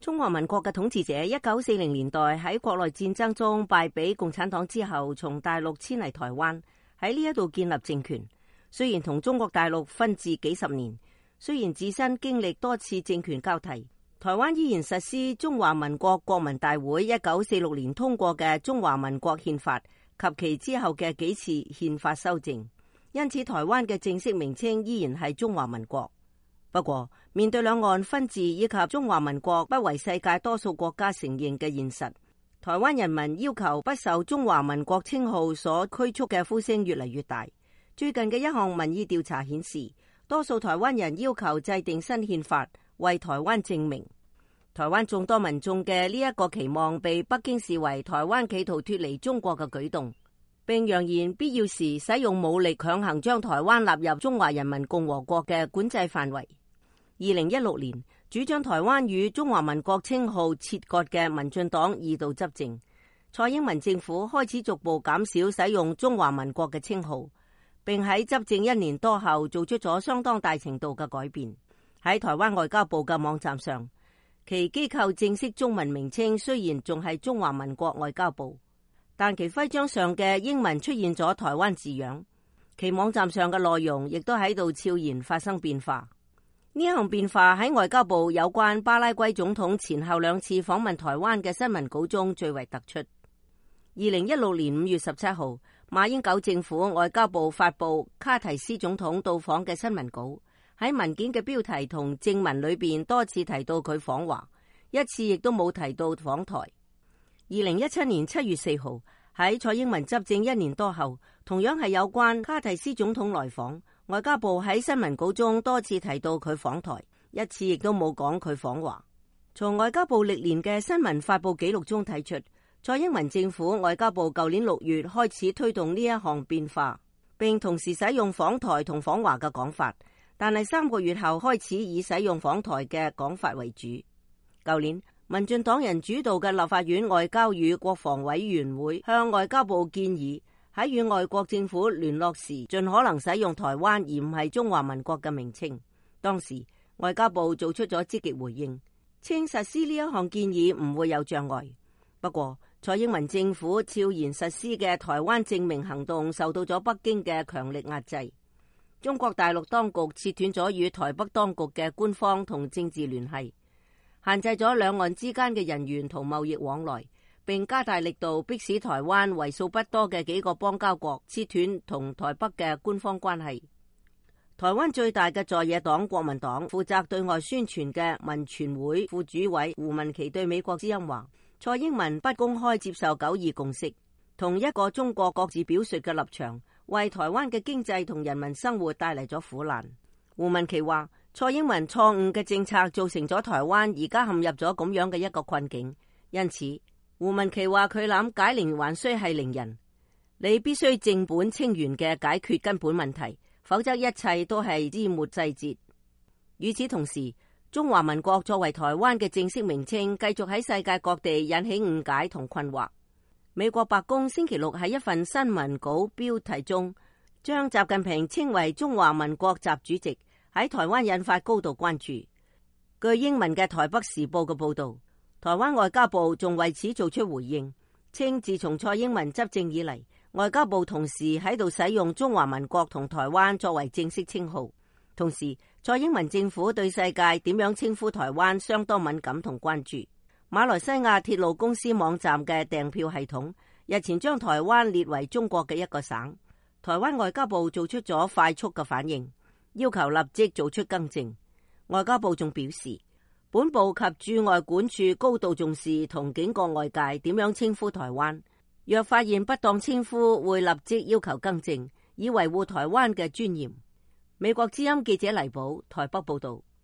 中華民國嘅統治者1940年代喺國內戰爭中敗俾共產黨之後，從大陸遷嚟台灣，喺呢一度建立政權。雖然同中國大陸分治幾十年，雖然自身經歷多次政權交替，台灣依然實施中華民國國民大會1946年通過嘅中華民國憲法及其之後嘅幾次憲法修正，因此台灣嘅正式名稱依然係中華民國。不過，面對兩岸分治以及中華民國不為世界多數國家承認嘅現實，台灣人民要求不受中華民國稱號所拘束嘅呼聲越嚟越大。最近嘅一項民意調查顯示，多數台灣人要求制定新憲法，為台灣正名。台灣眾多民眾嘅呢一個期望被北京視為台灣企圖脫離中國嘅舉動，並揚言必要時使用武力強行將台灣納入中華人民共和國嘅管制範圍。2016年，主張台灣與中華民國稱號切割嘅民進黨二度執政，蔡英文政府開始逐步減少使用中華民國嘅稱號，並喺執政1年多後做出咗相當大程度嘅改變。喺台灣外交部嘅網站上，其機構正式中文名稱雖然仲係中華民國外交部，但其徽章上嘅英文出現咗台灣字樣，其網站上嘅內容亦都喺度悄然發生變化。呢一項變化喺外交部有關巴拉圭總統前後2次訪問台灣嘅新聞稿中最為突出。2016年5月17號，馬英九政府外交部發布卡提斯總統到訪嘅新聞稿，喺文件嘅標題同正文裏邊多次提到佢訪華，一次亦都冇提到訪台。2017年7月4號，喺蔡英文執政1年多後，同樣係有關卡提斯總統來訪，外交部喺新聞稿中多次提到佢訪台，一次亦都冇講佢訪華。從外交部歷年嘅新聞發布記錄中睇出，蔡英文政府外交部舊年6月開始推動呢一項變化，並同時使用訪台同訪華嘅講法，但係3個月後開始以使用訪台嘅講法為主。舊年，民進黨人主導嘅立法院外交與國防委員會向外交部建議，喺與外國政府聯絡時，盡可能使用台灣而唔係中華民國嘅名稱。當時外交部做出咗積極回應，稱實施呢一項建議唔會有障礙。不過，蔡英文政府悄然實施嘅台灣正名行動受到咗北京嘅強力壓制。中國大陸當局切斷咗與台北當局嘅官方同政治聯繫，限制咗兩岸之間嘅人員同貿易往來，並加大力度迫使台灣為數不多嘅幾個邦交國切斷同台北嘅官方關係。台灣最大嘅在野黨國民黨負責對外宣傳嘅民傳會副主委胡文琪對美國之音話，蔡英文不公開接受9·2共識，同一個中國各自表述嘅立場，為台灣嘅經濟同人民生活帶嚟咗苦難。胡文琪話，蔡英文錯誤嘅政策造成咗台灣而家陷入咗咁樣嘅一個困境，因此胡文琪話佢諗解鈴還須繫鈴人，你必須正本清源嘅解決根本問題，否則一切都係枝末細節。與此同時，中華民國作為台灣嘅正式名稱，繼續喺世界各地引起誤解同困惑。美國白宮星期6喺一份新聞稿標題中，將習近平稱為中華民國習主席，喺台灣引發高度關注。據英文嘅台北時報嘅報道，台灣外交部仲為此做出回應，稱自從蔡英文執政以嚟，外交部同時喺度使用中華民國同台灣作為正式稱號。同時，蔡英文政府對世界點樣稱呼台灣相當敏感同關注。馬來西亞鐵路公司網站嘅訂票系統日前將台灣列為中國嘅一個省，台灣外交部做出咗快速嘅反應，要求立即做出更正。外交部仲表示，本部及駐外館處高度重視同警告外界點樣稱呼台灣，若發現不當稱呼，會立即要求更正，以維護台灣嘅尊嚴。美國之音記者黎寶台北報道。